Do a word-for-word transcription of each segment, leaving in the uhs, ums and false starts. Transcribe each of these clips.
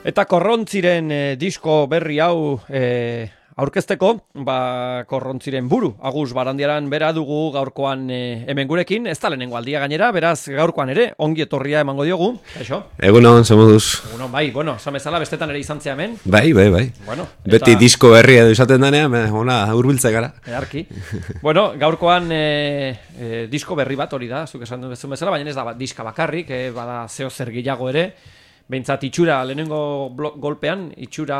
Eta Korrontziren e, disko berri hau e, aurkezteko, ba, Korrontziren buru, Agus Barandiaran bera dugu gaurkoan e, hemen gurekin, ez da lehenengo aldia gainera, beraz gaurkoan ere, ongi etorria emango diogu, eixo? Egunon, zemoduz. Egunon, bai, bueno, zamezala bestetan ere izan zea hemen. Bai, bai, bai. Bueno, eta... Beti disko berria edo izaten danean, ona, hurbiltze gara. Earki. Bueno, gaurkoan e, e, disko berri bat hori da, zuk esan duen bezala, baina ez da diska bakarrik, e, bada zeo zer gehiago ere, behintzat itxura, lehenengo golpean, itxura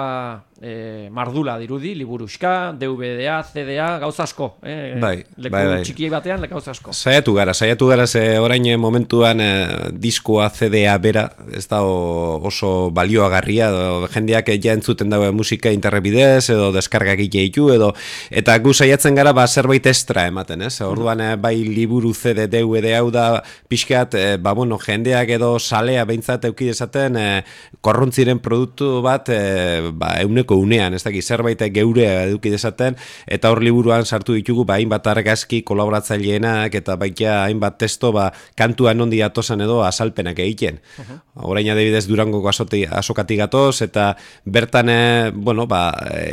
e, mardula dirudi, liburuxka, D V D A, C D A, gauza asko. Eh? Bai, leku bai, bai. Txikiei batean, gauza asko. Saiatu gara, saiatu gara, ze orain momentuan e, diskoa C D A bera, ez da oso balioagarria, edo jendeak ja entzuten dago musika internet bidez, edo deskargak ditu, edo, eta gu saiatzen gara, ba, zerbait extra ematen, ez? Orduan, e, bai liburu C D, D V D hau da, pixkat, e, ba, bueno, jendeak edo salea behintzat euki dezaten, E, Korrontziren produktu bat e, ba, euneko unean, ez dakit, zerbait geurea eduki dezaten, eta hor liburuan sartu ditugu ba, hainbat argazki kolaboratzaileenak eta baita hainbat testo ba, kantuan nondi atosan edo azalpenak egiten. Uh-huh. Orain adibidez Durangoko azokatik gatoz, eta bertan e, bueno, ba,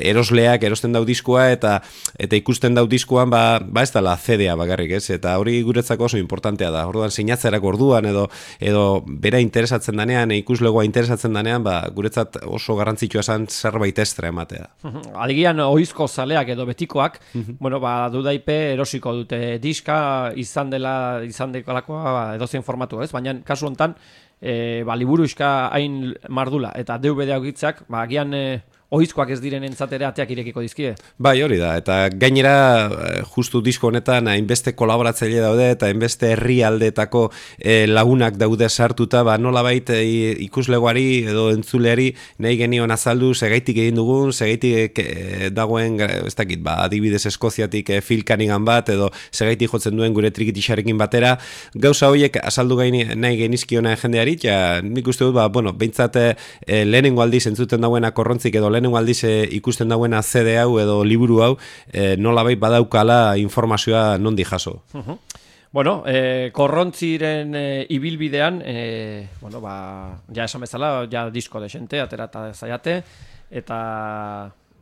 erosleak erosten dau diskoa, eta eta ikusten dau diskoan ba, ba ez dela C D A bakarrik, ez? Eta hori guretzako oso importantea da. Orduan sinatzerako orduan edo edo bera interesatzen danean, ikusle interesatzen danean, ba, guretzat oso garrantzitsua esan zerbait extra ematea. Adigian oizko zaleak edo betikoak, bueno, ba, dudaipe erosiko dute diska, izan dela, izan dekalakoa ba, edozein formatu, ez? Baina kasu hontan, e, ba, liburuxka hain mardula eta D V D augitzak, ba, agian e, oizkoak ez diren entzatera ateak irekiko dizkie. Bai, hori da, eta gainera justu disko honetan hainbeste kolaboratzaile daude eta hainbeste herrialdeetako e, lagunak daude sartuta, ba nolabait e, ikuslegoari edo entzuleari nahi genion azaldu segaitik egin dugun, segaitik e, dagoen, ez dakit, ba, adibidez Eskoziatik e, Phil Cunningham bat edo segaitik jotzen duen gure trikitixarekin batera, gauza horiek azaldu gaini, nahi genizkiona jendeari, ja nik uste dut, ba, bueno, behintzat e, lehenengo aldiz entzuten dagoena Korrontzik edo lehenengo aldiz e, ikusten dagoena C D hau edo liburu hau e, nolabait badaukala informazioa nondi jaso. Uh-huh. Bueno, e, Korrontziren e, ibilbidean, e, bueno, ba, ja esan bezala, ja disko desente, aterata zaiate, eta...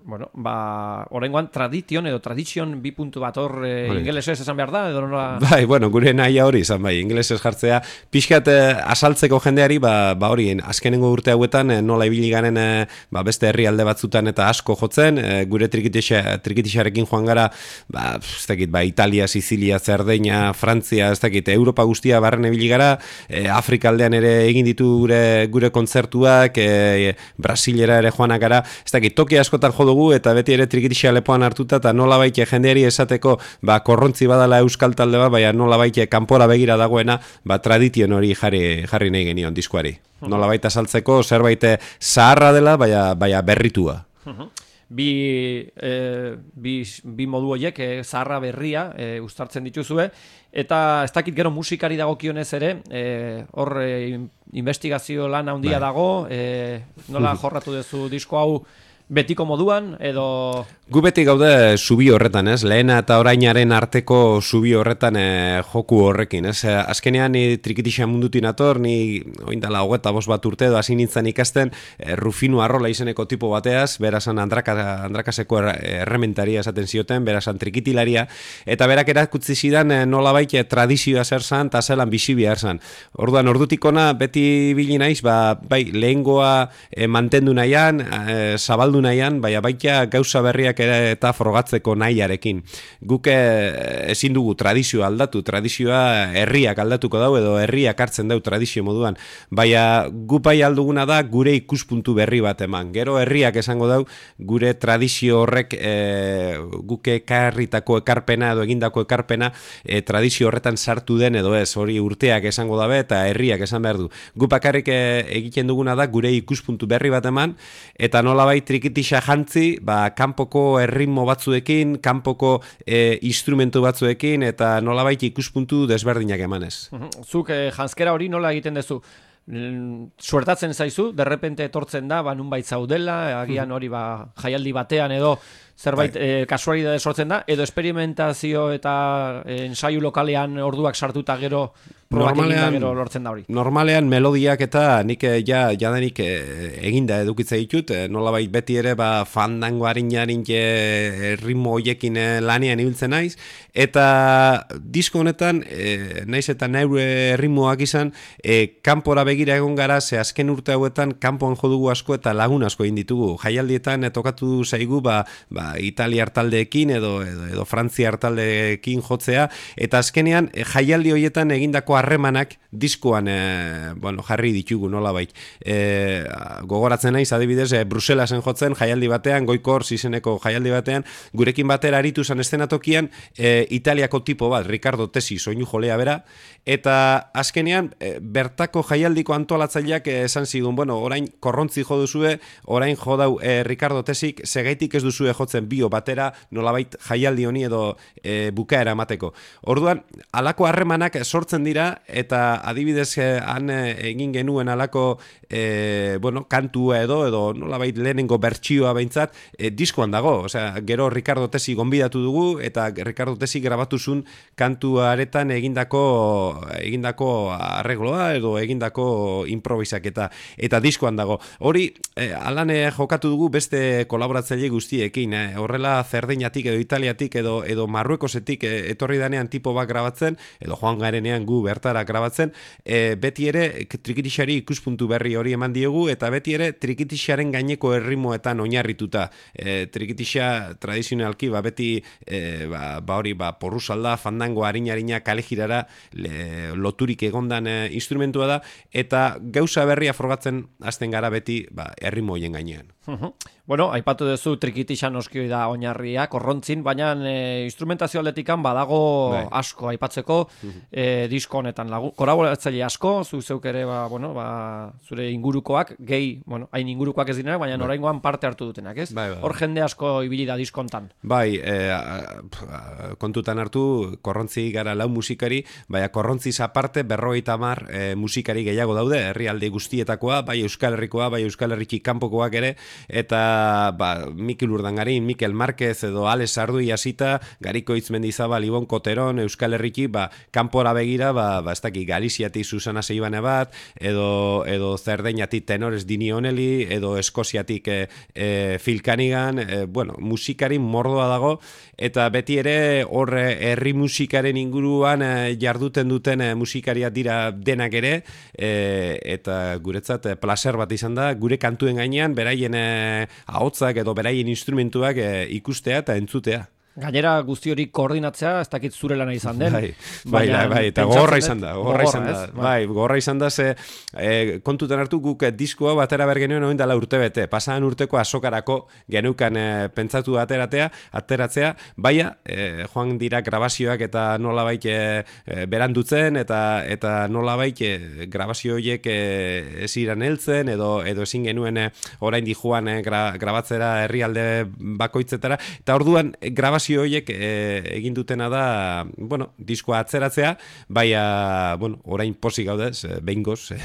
Bueno, ba, oraingoan tradition edo tradition bi puntu bat hor e, ingelesez esan behar da, edo nola... Bai, bueno, gure nahia hori izan bai, ingelesez jartzea, pixkat e, asaltzeko jendeari, ba, ba hori, azkenengo urte hauetan, e, nola ibili garen e, ba, beste herrialde batzutan eta asko jotzen, e, gure trikitixarekin joan gara, ba, ez dakit, ba, Italia, Sizilia, Zerdeña, Frantzia, ez dakit, Europa guztia barren ibili gara, e, Afrika aldean ere egin ditu gure, gure kontzertuak, e, Brasilera ere joanak gara, ez dakit, toki askotan jo dugu eta beti ere trikitixa lepoan hartuta eta nolabait jendeari esateko ba Korrontzi badala euskal talde bat, baina nolabait kanpora begira dagoena, ba tradition hori jarri jarri nahi genion diskoari. Nolabait azaltzeko zerbait zaharra dela, baina baina berritua. Bi, e, bi, bi modu horiek, e, zaharra berria e, uztartzen dituzue, eta ez dakit gero musikari dagokionez ere, e, hor e, investigazio lan handia dago, e, nola jorratu duzu disko hau betiko moduan, edo... Gu beti gaude zubi horretan, ez? Lehena eta orainaren arteko zubi horretan e, joku horrekin, ez? Azkenean ni trikitixa mundutin ator, ni oindala hogeta bost bat urte edo hasi nintzen ikasten e, Rufino Arrola izeneko tipo bateaz, berazan andraka, andrakaseko errementaria esaten zioten, berazan trikitilaria, eta berak erakutsi zidan e, nolabait e, tradizioa zer zan, eta zelan bizi behar zan. Orduan, ordutikona beti bili naiz, ba, bai, lehengoa e, mantendu nahian, e, zabaldu nahian, baina baita gauza berriak ere eta frogatzeko nahiarekin. Guk ezin dugu tradizioa aldatu, tradizioa herriak aldatuko dau edo herriak hartzen dau tradizio moduan, baina gupai alduguna da gure ikuspuntu berri bat eman. Gero herriak esango dau gure tradizio horrek e, guke ekarritako ekarpena edo egindako ekarpena e, tradizio horretan sartu den edo ez, hori urteak esango dabe eta herriak esan behar du. Gupakarrik e, egiten duguna da gure ikuspuntu berri bat eman, eta nolabait trikitixa jantzi, ba, kanpoko erritmo batzuekin, kanpoko e, instrumentu batzuekin, eta nolabait ikuspuntu desberdinak emanez. Zuk eh, janskera hori nola egiten duzu? Suertatzen zaizu, derrepente etortzen da, ba, nunbait zaudela, agian hori ba, jaialdi batean edo zerbait eh, kasualidade sortzen da, edo esperimentazio eta eh, ensaio lokalean orduak sartuta gero probak eginda gero lortzen da hori. Normalean melodiak eta nik ja, jadanik eginda edukitza ditut, nolabait beti ere ba, fandango harin-harin ritmo hoiekin lanean ibiltzen naiz, eta disko honetan, e, naiz eta neure ritmoak izan, e, kanpora begira egon gara, ze azken urte hauetan kanpoan jodugu asko eta lagun asko egin ditugu. Jaialdietan e, tokatu zaigu ba, ba, Italiar taldeekin edo, edo, edo Frantziar taldeekin jotzea, eta azkenean e, jaialdi horietan egindako harremanak diskoan e, bueno, jarri ditugu nolabait. E, gogoratzen naiz, adibidez, e, Bruselasen jotzen jaialdi batean, Goikor izeneko jaialdi batean, gurekin batera aritu zan eszenatokian e, Italiako tipo bat, Ricardo Tesi, soinu jolea bera, eta azkenean e, bertako jaialdiko antolatzaileak e, esan zigun, bueno, orain korrontzi jo duzue, orain jo dau e, Ricardo Tesik, segaitik ez duzue jotzen bio batera, nolabait jaialdi honi edo e, bukaera emateko. Orduan, alako harremanak sortzen dira, eta adibidez e, han e, egin genuen alako e, bueno, kantua edo, edo nolabait lehenengo bertsioa behintzat, e, diskoan dago, osea, gero Ricardo Tesi gonbidatu dugu, eta Ricardo Tesi grabatu zuen kantuaretan egindako egindako arregloa edo egindako improvisak eta, eta diskoan dago. Hori, e, alan jokatu dugu beste kolaboratzaile guztiekin, e, horrela Zerdeinatik edo Italiatik edo, edo Marruekosetik e, etorri danean tipo bat grabatzen, edo joan garenean gu bertara grabatzen, e, beti ere trikitixari ikuspuntu berri hori eman diogu, eta beti ere trikitixaren gaineko erritmoetan oinarrituta. E, trikitixa tradizionalki, ba, beti e, ba, ba hori, ba, porrusalda, fandango, harina-harina, kalejirara le, loturik egondan e, instrumentua da, eta gauza berria frogatzen hasten gara beti ba, erritmo hoien gainean. Bueno, aipatu duzu trikitixan oskioi da oinarria, korrontzin, baina e, instrumentazio aldetikan badago bai. Asko aipatzeko e, disko honetan lagu. Kolaboratzaile asko, zu zeuk ere, ba, bueno, ba, zure ingurukoak, gehi, bueno, hain ingurukoak ez direnak, baina bai. Oraingoan parte hartu dutenak, ez? Bai, bai. Hor jende asko ibili da diskontan. Bai, e, kontutan hartu, korrontzi gara lau musikari, baina korrontziz aparte berrogeita hamar e, musikari gehiago daude, herrialde guztietakoa, bai Euskal Herrikoa, bai Euskal Herriki kanpokoak ere, eta ba, Mikel Urdangarin, Mikel Marquez edo Alex Ardui hasita, Gariko Itzmendizabal, Ibon Koteron, Euskal Herriki, ba, kanpora begira, ba, ba, ez daki, Galiziatik Susana Seibane bat, edo, edo Zerdeinatik Tenores Dini Oneli, edo Eskoziatik e, e, Phil Cunningham, e, bueno, musikari mordoa dago, eta beti ere hor herri musikaren inguruan e, jarduten duten e, musikariak dira denak ere, e, eta guretzat e, placer bat izan da, gure kantuen gainean, beraien e, ahotzak edo beraien instrumentuak e, ikustea eta entzutea. Gainera guzti hori koordinatzea, ez dakit zure lana izan den. Bai, bai, bai, bai, eta gogorra izan da, gogorra izan da. Bai, gogorra izan da, ze e, kontutan hartu guk diskoa batera bergenuen oin dela urte bete. Pasadan urteko azokarako genukan e, pentsatu ateratea, ateratzea, baina e, joan dira grabazioak eta nolabait e, e, berandutzen, eta eta nolabait e, grabazio horiek e, ez iran heltzen, edo, edo ezin genuen e, orain di joan e, gra, grabatzera herrialde bakoitzetara, eta orduan e, grabazio horiek e, egin dutena da, bueno, diskoa atzeratzea, baina, bueno, orain pozik gaudez, behingoz,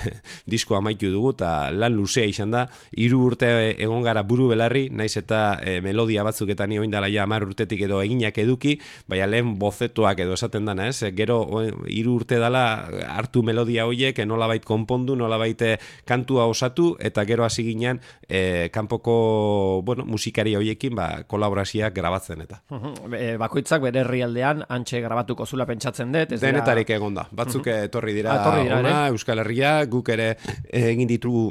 diskoa amaitu dugu, eta lan luzea izan da, hiru urte egon gara buru belarri, naiz eta e, melodia batzuk eta ni oindala ja hamar urtetik edo eginak eduki, baina lehen bozetoak edo esaten dana, ez? Gero hiru urte dala hartu melodia horiek, nolabait konpondu, nolabait kantua osatu, eta gero hasi ginen e, kanpoko, bueno, musikari horiekin, ba, kolaborazioak grabatzen eta. Bakoitzak bere herrialdean antxe grabatuko zula pentsatzen dut. Denetarik dira... egon da. Batzuk uh-huh. etorri dira, ah, dira ona, Euskal Herria, guk ere egin ditugu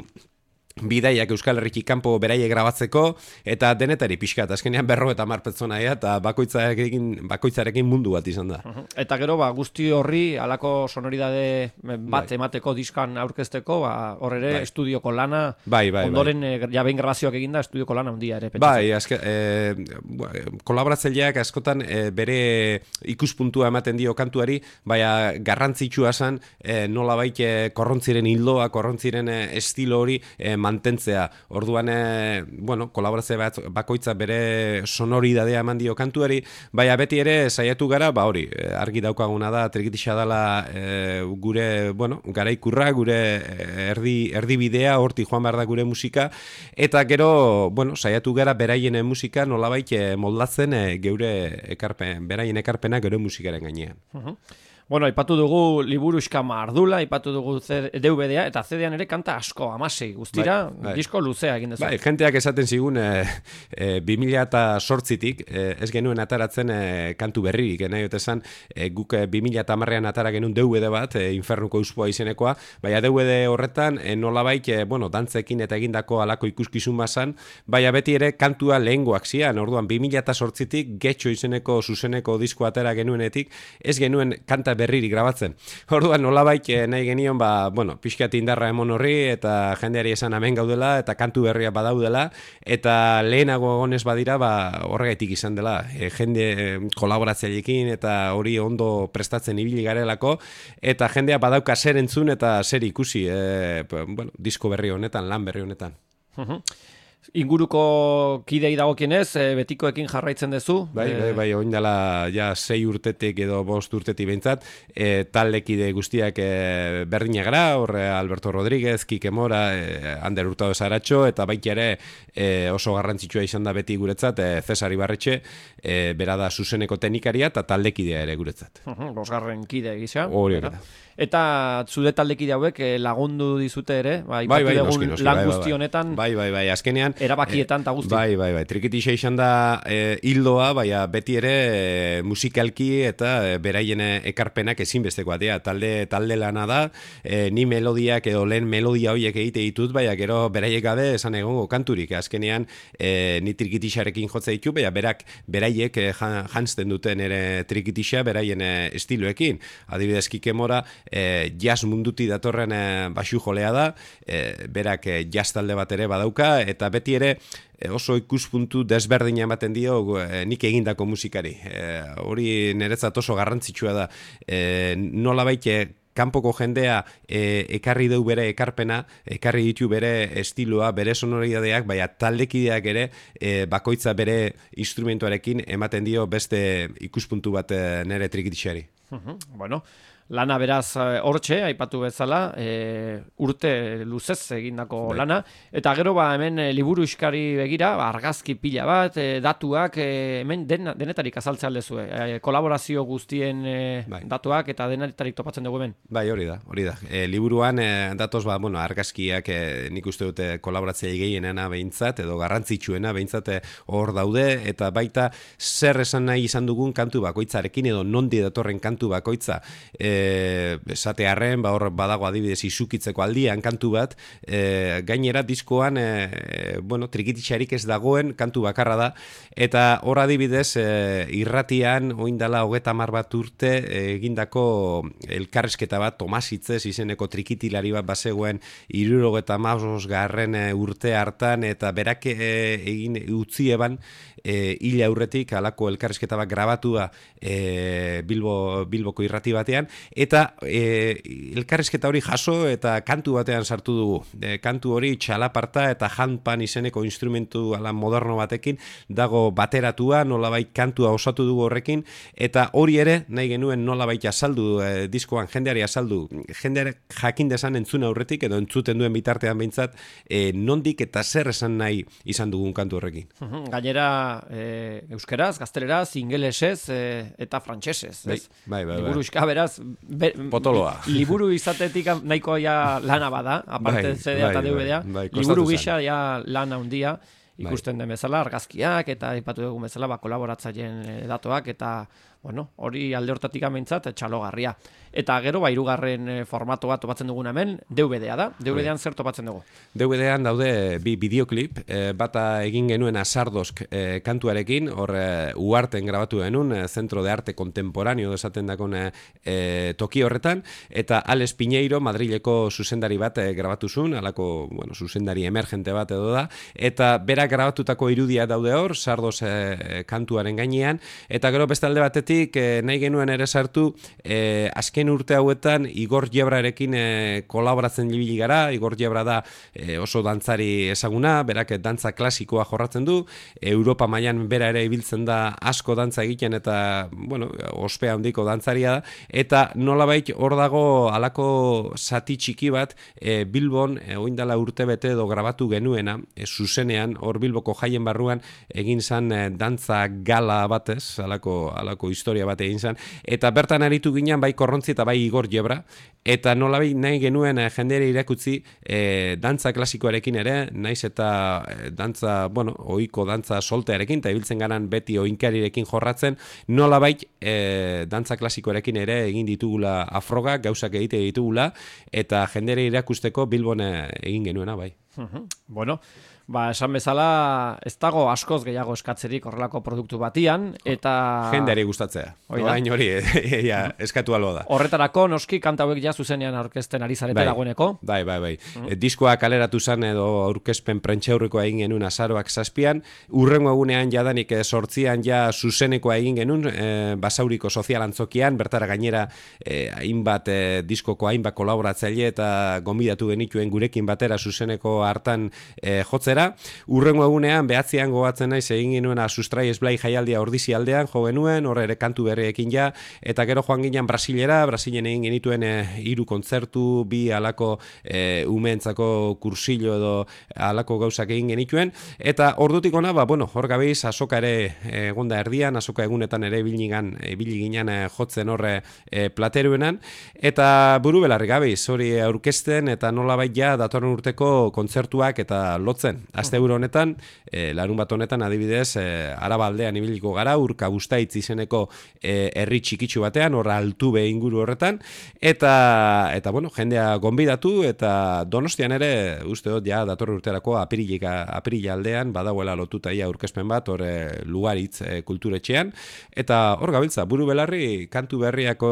bidaiak Euskal Herriki kanpo beraie grabatzeko, eta denetari pixkat, azkenean berro eta mar pertsona eta bakoitzarekin, bakoitzarekin mundu bat izan da. Uh-huh. Eta gero, ba, guzti horri, alako sonoridade bat bai. Emateko diskan aurkezteko, ba, hor ere bai. Estudioko lana, bai, bai, ondoren bai. E, jabein grabazioak eginda, estudioko lana handia ere. Pentsatzen. Bai, azke, e, kolaboratzaileak askotan e, bere ikuspuntua ematen dio kantuari, baina garrantzitsua zen e, nola baite korrontziren hildoa, korrontziren e, estilo hori e, mantentzea. Orduan, e, bueno, kolaborazio bat bakoitza bere sonoridadea eman dio kantuari, baina beti ere saiatu gara, ba hori, argi daukaguna da, trikitixa dela e, gure, bueno, garaikurra, gure erdi, erdi bidea, horti joan behar da gure musika, eta gero, bueno, saiatu gara beraien musika nolabait moldatzen e, geure ekarpen, beraien ekarpena gure musikaren gainean. Uh-huh. Bueno, aipatu dugu liburuxka mardula, aipatu dugu D V D-a, eta C D-an ere kanta asko, amasei, guztira, bai, bai. Disko luzea egin dezu. Bai, jenteak esaten zigun, e, e, bi mila zortzitik, e, ez genuen ataratzen e, kantu berririk, e, nahi esan, e, guk e, bi mila hamarrean atara genuen D V D bat, e, Infernuko Uspoa izenekoa, baina D V D horretan, e, nolabait, e, bueno, dantzekin eta egindako alako ikuskizun bazan, baina beti ere kantua lehengoak zian, orduan, bi mila zortzitik, Getxo izeneko zuzeneko disko atera genuenetik, ez genuen kanta berririk grabatzen. Orduan nolabait nahi genion, ba, bueno, pixkat indarra emon horri eta jendeari esan hemen gaudela eta kantu berria badaudela eta lehenago egonez badira, ba, horregaitik izan dela. E, jende kolaboratzaileekin eta hori ondo prestatzen ibili garelako eta jendea badauka zer entzun eta zer ikusi, e, bueno, disko berri honetan, lan berri honetan. Uh-huh. Inguruko kidei dagokienez, e, betikoekin jarraitzen duzu. Bai, bai, bai, oin dela ja sei urtetik edo bost urtetik behintzat, e, talde kide guztiak e, berdina gara, horre Alberto Rodríguez, Kike Mora, e, Ander Hurtado Saratxo, eta baita ere e, oso garrantzitsua izan da beti guretzat, e, Cesar Ibarretxe, e, bera da zuzeneko teknikaria eta taldekidea ere guretzat. Uh-huh, bosgarren kide gisa. Hori hori da. Eta zude taldekide hauek eh, lagundu dizute ere, bai, bai, bai, noski, noski, lan bai, guzti honetan, bai, bai, bai, azkenean, erabakietan eta guzti. Bai, bai, bai, trikitixa izan da e, hildoa, baina beti ere e, musikalki eta e, beraien ekarpenak ezinbestekoa dira, talde, talde lana da, e, ni melodiak edo lehen melodia horiek egite ditut, baina gero beraiek gabe esan egongo kanturik, azkenean e, ni trikitixarekin jotza ditu, baina berak, beraiek e, jantzten duten ere trikitixa, beraien e, estiloekin, adibidez Kike Mora, E, jazz munduti datorren e, basu jolea da, e, berak e, jazz talde bat ere badauka, eta beti ere e, oso ikuspuntu desberdina ematen dio e, nik egindako musikari. E, hori niretzat oso garrantzitsua da. E, nola baite, kanpoko jendea e, ekarri deu bere ekarpena, ekarri ditu bere estiloa, bere sonoridadeak, baina taldekideak ere e, bakoitza bere instrumentuarekin ematen dio beste ikuspuntu bat e, nere trikitixari. Uh-huh. Bueno, lana beraz hortxe, aipatu bezala, e, urte luzez egindako Bai. lana, eta gero ba hemen e, liburu iskari begira, ba, argazki pila bat, e, datuak, e, hemen den, denetarik azaltzea aldezue, e, kolaborazio guztien e, bai. datuak eta denetarik topatzen dugu hemen. Bai, hori da, hori da. E, liburuan e, datoz, ba, bueno, argazkiak e, nik uste dute kolaboratzea gehienena behintzat, edo garrantzitsuena behintzat hor daude, eta baita zer esan nahi izan dugun kantu bakoitzarekin, edo nondi datorren kantu bakoitza, e, esatearren, ba, hor badago adibidez izukitzeko aldian kantu bat, e, gainera diskoan e, bueno, trikitixarik ez dagoen kantu bakarra da, eta hor adibidez e, irratian oindala hogeta hamar bat urte egindako elkarrezketa bat Tomas Hitzez izeneko trikitilari bat bazegoen hirurogeta hamabost garren urte hartan, eta berak e, egin utzi eban e, hila aurretik halako elkarrezketa bat grabatua e, Bilbo, Bilboko irrati batean, eta e, elkarrizketa hori jaso eta kantu batean sartu dugu. E, kantu hori txalaparta eta handpan izeneko instrumentu ala moderno batekin dago bateratua, nolabait kantua osatu dugu horrekin, eta hori ere nahi genuen nolabait azaldu e, diskoan jendeari azaldu, jendeari jakin desan entzun aurretik edo entzuten duen bitartean behintzat e, nondik eta zer esan nahi izan dugun kantu horrekin. Gainera e, euskeraz, gazteleraz, ingelesez e, eta frantsesez. Bai, bai, bai. Liburu iska beraz, Be, potoloa. Liburu izatetik nahiko ja lana bada, aparte bai, C D eta D V D-a, bai, bai, liburu gisa ja lana handia ikusten den bezala, argazkiak eta aipatu dugun bezala ba, kolaboratzaileen datuak eta bueno, hori alde hortatik ameintzat txalogarria. Eta gero, ba, hirugarren formato bat topatzen duguna hemen, D V D-a da. D V D-an zer topatzen dugu? D V D-an daude bi bideoklip, e, bata egin genuen Azardosk e, kantuarekin, hor e, Uarten grabatu genuen, e, Centro de Arte Contemporáneo esaten dakon e, toki horretan, eta Alex Piñeiro, Madrileko zuzendari bat e, grabatu zuen, alako, bueno, zuzendari emergente bat edo da, eta berak grabatutako irudia daude hor, Sardos e, kantuaren gainean, eta gero beste alde batetik, E, nahi genuen ere sartu e, azken urte hauetan Igor Jebrarekin e, kolaboratzen libili gara. Igor Jebra da e, oso dantzari ezaguna, berak dantza klasikoa jorratzen du, Europa mailan bera ere ibiltzen da asko dantza egiten eta bueno, ospea handiko dantzaria da, eta nolabait hor dago halako zati txiki bat e, Bilbon e, oindala urtebete edo grabatu genuena, e, zuzenean hor Bilboko jaien barruan egin zan e, dantza gala batez, halako halako historia bat egin zen, eta bertan aritu ginen bai Korrontzi eta bai Igor Jebra, eta nolabai nahi genuen e, jendere irakutzi e, dantza klasikoarekin ere, naiz eta e, dantza, bueno, ohiko dantza soltearekin, eta ibiltzen garan beti oinkarirekin jorratzen, nolabait e, dantza klasikoarekin ere egin ditugula afrogak, gauzak egite ditugula, eta jendere irakusteko Bilbon egin genuena bai. Bueno, ba, esan bezala ez dago askoz gehiago eskatzerik horrelako produktu batian, eta... Jendeari gustatzea. Orain hori, ja, eskatu albo da. Horretarako, noski, kanta hauek ja zuzenean aurkezten ari zarete dagoeneko. Bai, bai, bai. Mm. E, diskoa kaleratu zen edo aurkezpen prentxaurrekoa egin genuen azaroak zazpian, urrengo egunean jadanik e, sortzian ja zuzenekoa egin genuen, e, Basauriko sozial antzokian, bertara gainera e, hainbat e, diskoko hainbat kolaboratzaile eta gonbidatu genituen gurekin batera zuzeneko hartan e, jotzera. Urrengo egunean behatzean gogatzen naiz egin genuena Sustrai Esblai jaialdia Ordizi aldean jo genuen, hor ere kantu berriekin ja, eta gero joan ginen Brasilera, Brasilen egin genituen e, hiru kontzertu, bi alako e, umeentzako kursillo edo alako gauzak egin genituen, eta ordutik ona, ba, bueno, hor gabiz, azoka ere egonda erdian, azoka egunetan ere biligan, ibili ginen e, jotzen horre e, plateruenan, eta buru belarri gabiz, hori aurkezten, eta nolabait ja datorren urteko kontzertuak eta lotzen. Aste euro honetan, e, larun bat honetan adibidez, e, Araba aldean ibiliko gara, Urka Bustaitz izeneko e, herri txikitsu batean, horra Altube inguru horretan, eta, eta bueno, jendea gonbidatu, eta Donostian ere, uste dut, ja, datorren urterako apirilika, apirila aldean, badagoela lotuta ia aurkezpen bat, hor e, Lugaritz e, kulturetxean, eta hor gabiltza, buru belarri, kantu berriako,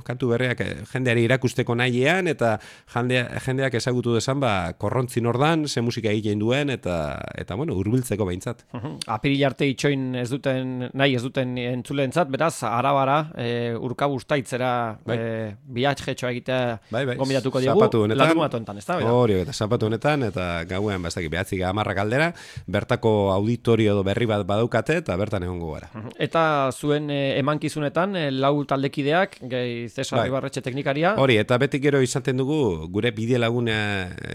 kantu berriak e, jendeari irakusteko nahiean, eta jendea, jendeak ezagutu desan, ba, Korrontzi nordan, ze musika egiten duen, eta, eta bueno, hurbiltzeko behintzat. Apiril arte itxoin ez duten, nahi ez duten entzuleentzat, beraz, arabara, e, Urka Bustaitzera bai. e, biatxetxoa egitea bai, bai. Gombidatuko diegu, larun bat honetan, ez da? Hori, eta zapatu honetan, eta gauen, bastak, behatzik amarrak aldera, bertako auditorio edo berri bat badaukate, eta bertan egongo gara. Eta zuen e, emankizunetan, e, lau taldekideak, gehi Cesar bai. Ibarretxe teknikaria. Hori, eta beti gero izaten dugu, gure bide laguna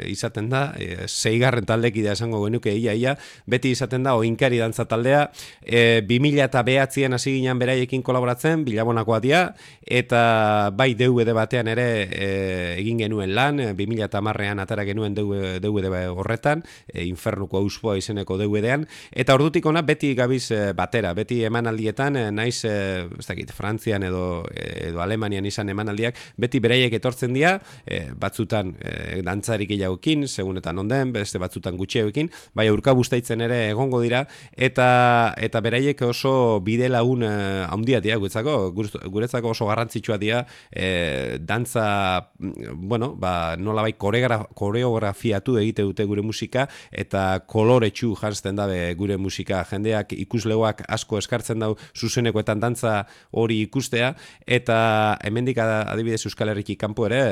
izaten da, e, zeigarren taldekidea esango genuke ia ia, beti izaten da oinkari dantza taldea, e, bi mila eta behatzien hasi ginen beraiekin kolaboratzen, Bilabonakoa dira, eta bai D V D batean ere e, egin genuen lan, bi mila eta hamarrean atara genuen D V D horretan, e, Infernuko Auspoa izeneko D V D-an, eta ordutik ona beti gabiz e, batera, beti emanaldietan, e, naiz, e, ez dakit, Frantzian edo, edo Alemanian izan emanaldiak, beti beraiek etortzen dira, e, batzutan e, dantzarik gehiagokin, segunetan onden, beste batzutan gutxeoekin, bai Urka Bustaitzen ere egongo dira, eta eta beraiek oso bide lagun eh, handia dira guretzako, guretzako oso garrantzitsua dira, eh, dantza, bueno, ba, nolabait koreografiatu egite dute gure musika, eta koloretsu janzten dabe gure musika, jendeak ikuslegoak asko eskartzen dau zuzenekoetan dantza hori ikustea, eta hemendik adibidez Euskal Herriki kanpo ere,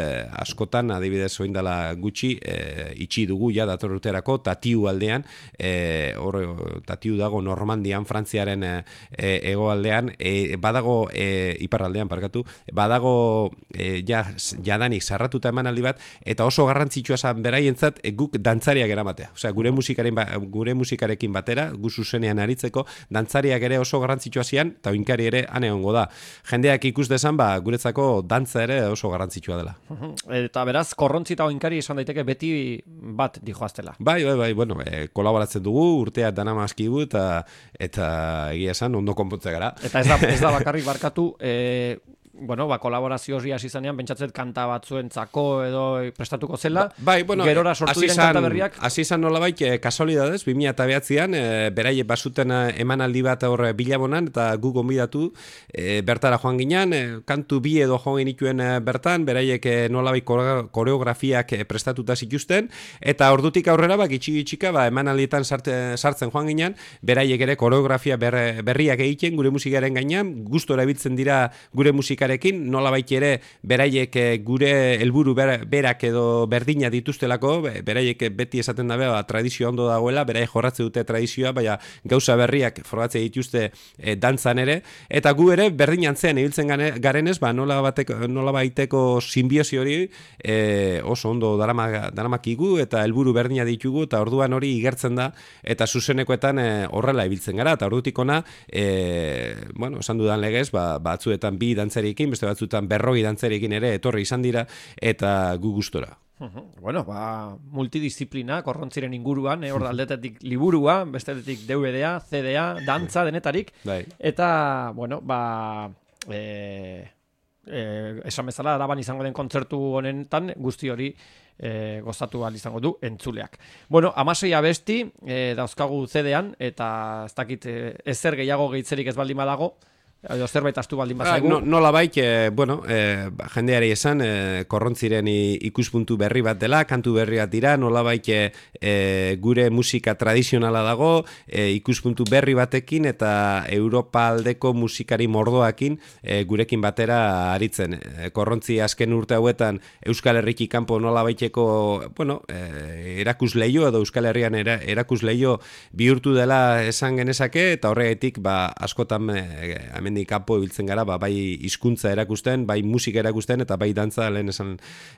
askotan adibidez oindala gutxi, e, itxi dugu ja dator urterako, Tatiu aldean, e, hor Tatiu dago Normandian, Frantziaren e, e, egoaldean, e, badago e, iparraldean parkatu, badago e, ja, jadanik sarratuta emanaldi bat, eta oso garrantzitsua zan beraientzat e, guk dantzariak eramatea. Osea, gure musikaren ba, gure musikarekin batera, gu zuzenean aritzeko, dantzariak ere oso garrantzitsua zian, eta oinkari ere ane hongo da. Jendeak ikus dezan, ba, guretzako dantza ere oso garrantzitsua dela. Eta beraz, Korrontzi eta oinkari esan daiteke beti bat dijoaztela. Bai, bai, bai, bueno, e, kolaboratzen dugu, urteak dana maskigu, eta, eta egia esan, ondo konpontze gara. Eta ez da, ez da bakarrik barkatu, e, bueno, ba, kolaborazio hori hasi zanean, pentsatzet kanta batzuentzako edo prestatuko zela, ba, bai, bueno, gerora sortu diren kanta berriak. Hasi izan nolabait, e, kasualidadez, bi mila eta behatzean, e, beraiek basuten emanaldi bat hor Bilabonan, eta gu gonbidatu, e, bertara joan ginen, e, kantu bi edo joan genituen e, bertan, beraiek e, nolabait koreografiak e, prestatuta zituzten, eta ordutik aurrera, bak, itxik-itxika, ba, emanaldietan sarte, sartzen joan ginen, beraiek ere koreografia ber, berriak egiten gure musikaren gainean, gustora erabiltzen dira gure musikarekin dantzarekin, nolabait ere beraiek gure helburu berak edo berdina dituztelako, beraiek beti esaten dabe, ba, tradizioa ondo dagoela, beraiek jorratze dute tradizioa, baina gauza berriak frogatze dituzte e, dantzan ere, eta gu ere berdin antzean ibiltzen garenez, ba, nola, bateko, nola baiteko simbiosi hori e, oso ondo darama, daramakigu eta helburu berdina ditugu, eta orduan hori igertzen da, eta zuzenekoetan e, horrela ibiltzen gara, eta ordutik ona, e, bueno, esan dudan legez, ba, batzuetan bi dantzariekin, beste batzuetan berroi dantzariekin ere etorri izan dira, eta gu gustora. Bueno, ba, multidisziplina, korrontziren inguruan, eh, hor aldetetik liburua, bestetetik D V D-a, C D-a, dantza, denetarik, bai. Eta, bueno, ba, e, e, esan bezala, araban izango den kontzertu honetan, guzti hori e, gozatu ahal izango du entzuleak. Bueno, amasei abesti e, dauzkagu C D-an, eta ez dakit e, ezer gehiago gehitzerik ez baldin badago, edo zerbait astu baldin bazaigu. No, nola baik, e, bueno, e, jendeari esan, e, korrontziren ikuspuntu berri bat dela, kantu berri bat dira, nola baik e, gure musika tradizionala dago, e, ikuspuntu berri batekin eta Europa aldeko musikari mordoakin e, gurekin batera aritzen. E, korrontzi azken urte hauetan Euskal Herriki kanpo nola baiteko, bueno, e, erakusleio edo Euskal Herrian era, erakusleio bihurtu dela esan genezake, eta horregatik, ba, askotan e, hemen kanpo ibiltzen gara, ba, bai hizkuntza erakusten, bai musika erakusten, eta bai dantza, lehen esan,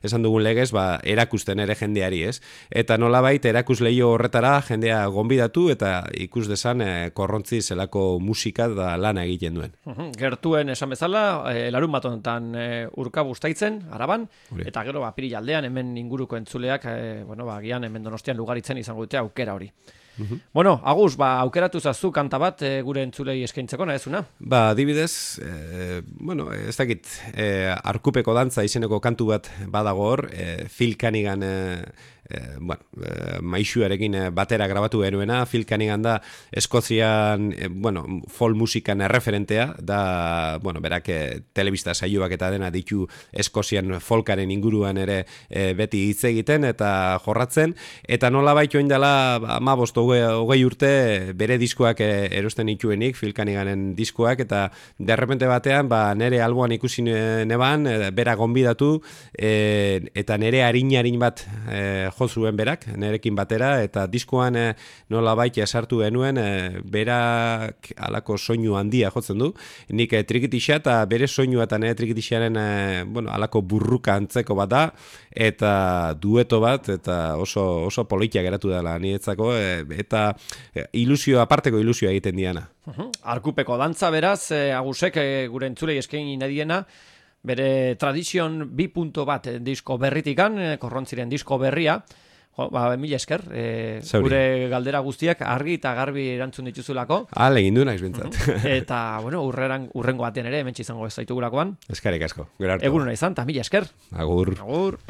esan dugun legez, ba, erakusten ere jendeari, ez? Eta nolabait erakusleio horretara jendea gonbidatu, eta ikus desan e, korrontzi zelako musika da lana egiten duen. Gertuen esan bezala, e, larun bat honetan e, urka bustaitzen, araban, Uri. Eta gero, ba, Apirilaldean, hemen inguruko entzuleak, e, bueno, ba, gian hemen Donostian lugaritzen izango dute aukera hori. Uhum. Bueno, Agus, ba, aukeratu zazu kanta bat e, gure entzulei eskaintzeko, nahezuna? Ba, adibidez, e, bueno, ez dakit, e, arkupeko dantza izeneko kantu bat badago hor, e, Phil Cunningham, e, e, bueno, e, maixuarekin batera grabatu genuena, Phil Cunningham da Eskozian, e, bueno, folk musikan erreferentea, da, bueno, berak e, telebista saioak eta dena ditu Eskozian folkaren inguruan ere e, beti hitz egiten eta jorratzen, eta nola baito indela, ama bosto hogei urte bere diskoak erosten ituenik, Phil Cunninghamen diskoak, eta derrepente batean ba, nere alboan ikusi neban, bera gonbidatu, e, eta nere harin-harin bat e, jo zuen berak, nerekin batera, eta diskoan e, nola baita sartu genuen, e, berak alako soinu handia jotzen du, nik e, trikitixa, eta bere soinua eta nere trikitixaren e, bueno, alako burruka antzeko bat da, eta dueto bat, eta oso, oso politia geratu dela niretzako, e, eta ilusio, aparteko ilusioa egiten diana. Uhum. Arkupeko dantza beraz, eh, Agusek eh, gure entzulei eskaini nadiena, bere tradizion bi puntu bat eh, disko berritikan, eh, korrontziren disko berria, jo, ba, mila esker, eh, gure galdera guztiak argi eta garbi erantzun dituzulako. Hala, egin du naiz bintzat. Uhum. Eta, bueno, urreran, urrengo batean ere, hementsi izango ez zaitugulakoan. Eskarrik asko, gero hartu. Egun hona izan, eta mila esker. Agur. Agur.